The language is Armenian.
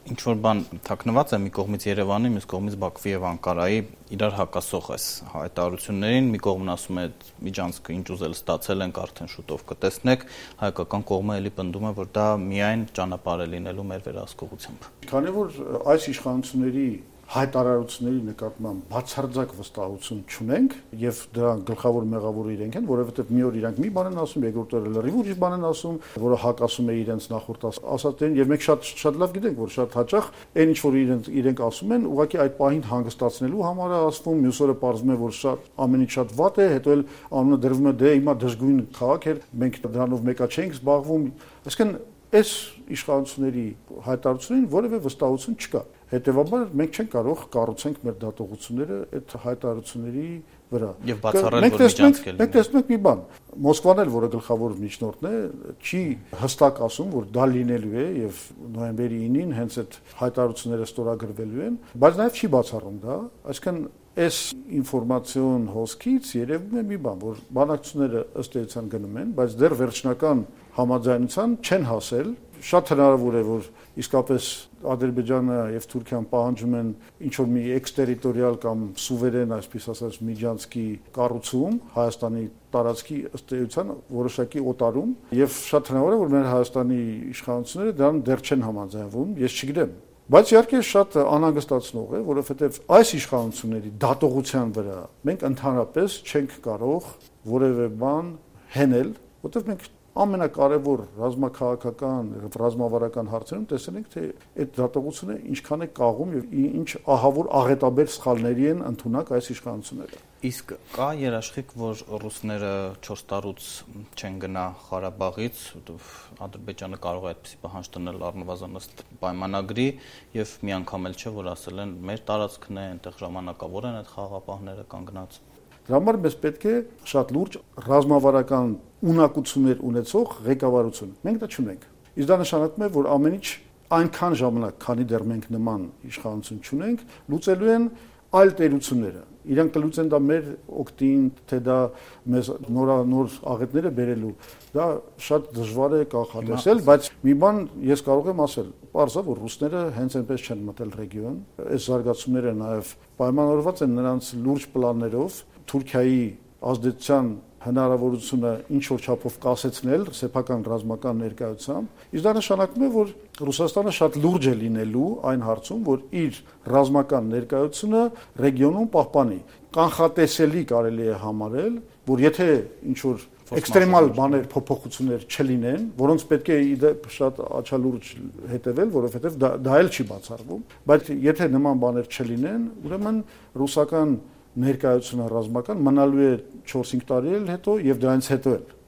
Ինչ-որ բան թաքնված է մի կողմից Երևանի, մյուս կողմից Բաքվի եւ Անկարայի իրար հակասող այս հայտարարություններին, մի կողմն ասում է միջանցքը ինչ ուզել ստացել ենք, արդեն շուտով կտեսնեք, հայկական կողմը էլի պնդում է, որ դա միայն ճանապարհ է լինելու մեր վերահսկողությամբ։ Քանի որ այս իշխանությունների հայտարարությունների նկատմամբ բացարձակ վստահություն չունենք եւ դրա գլխավոր մեղավորը իրենք են, որովհետեւ մի օր իրանք մի բան են ասում, երկրորդ օրը լրիվ ուրիշ բան են ասում, որը հակասում է իրենց նախորդ ասածներին եւ մենք շատ լավ գիտենք, որ շատ հաճախ այն ինչ որ իրենք ասում են, ուղղակի այդ պահին հանգստացնելու համար է ասվում, մյուս օրը պարզվում է, որ շատ ամեն ինչ շատ վատ է, հետո էլ անունը դրվում է դե հիմա դժգույն քաղաք էր, մենք դրանով մեկա չենք զբաղվում, այսինքն այս իշխանությունների հայտարարություններին որևէ վստահություն չկա։ Հետևաբար մենք չենք կարող կառուցենք մեր դատողությունները այդ հայտարարությունների վրա։ Եվ բացառել, որ միջանցք է լինել։ Մենք տեսնում ենք մի բան։ Մոսկվան էլ, որը գլխավոր միջնորդն է, չի հստակ ասում, որ դա լինելու է եւ նոյեմբերի 9-ին հենց այդ հայտարարությունները ստորագրվելու են, բայց նաեւ չի բացառում դա, այսինքն այս ինֆորմացիոն հոսքից երևում է մի բան, որ բանակցությունները ըստ էության գնում են, բայց դեռ վերջնական համաձայնության չեն հասել։ Շատ հնարավոր է, որ իսկապես Ադրբեջանը եւ Թուրքիան պահանջում են ինչ-որ մի էքստերիտորիալ կամ սուվերեն, այսպես ասած, միջանցքի կառուցում Հայաստանի տարածքի ըստ էության որոշակի օտարում եւ շատ հնարավոր է, որ մեր Հայաստանի իշխանությունները դրան դեռ չեն համաձայնվում, ես չգիտեմ։ Բայց իհարկե շատ անհանգստացնող է, որովհետեւ այս իշխանությունների դատողության վրա մենք ընդհանրապես չենք կարող որևէ բան հենել, որովհետեւ մենք ամենակարևոր ռազմաքաղաքական, ռազմավարական հարցերում տեսել ենք, թե այդ դատողությունը ինչքան է կաղում եւ ինչ ահավոր աղետաբեր սխալների են ընդունակ այս իշխանությունները։ Իսկ կա երաշխիք, որ ռուսները 4 տարուց չեն գնա Ղարաբաղից, Ադրբեջանը կարող է այդպիսի պահանջ տնել առնվազն ըստ պայմանագրի եւ մի անգամ էլ չէ, որ ասել են մեր տարածքն է, այնտեղ ժամանակավոր են այդ խաղաղապահները կանգնած։ Դրա համար մեզ պետք է շատ լուրջ ռազմավարական ունակություններ ունեցող ղեկավարություն։ Մենք դա չունենք։ Իսկ դա նշանակում է, որ ամեն ինչ այնքան ժամանակ, քանի դեռ մենք նման իշխանություն չունենք, լուծելու են այլ տերությունները։ Իրանք կլուծեն դա մեր օգտին, թե դա մեզ նոր աղետները բերելու։ Դա շատ դժվար է կանխատեսել, բայց մի բան ես կարող եմ ասել, պարզ է, որ ռուսները հենց այնպես չեն մտել ռեգիոն։ Այս զարգացումները նաև պայմանավորված են նրանց լուրջ պլաններով Թուրքիայի ազդեցության հնարավորությունը ինչ որ չափով կասեցնել սեփական ռազմական ներկայությամբ, իսկ դա նշանակում է, որ Ռուսաստանը շատ լուրջ է լինելու այն հարցում, որ իր ռազմական ներկայությունը ռեգիոնում պահպանի։ Կանխատեսելի կարելի է համարել, որ եթե ինչ որ էքստրեմալ բաներ, փոփոխություններ չլինեն, որոնց պետք է շատ աչալուրջ հետևել, որովհետև դա էլ չի բացառվում, բայց եթե նման բաներ չլինեն, ուրեմն ռուսական ներկայությունը ռազմական մնալու է 4-5 տարի էլ հետո եւ դրանից հետո էլ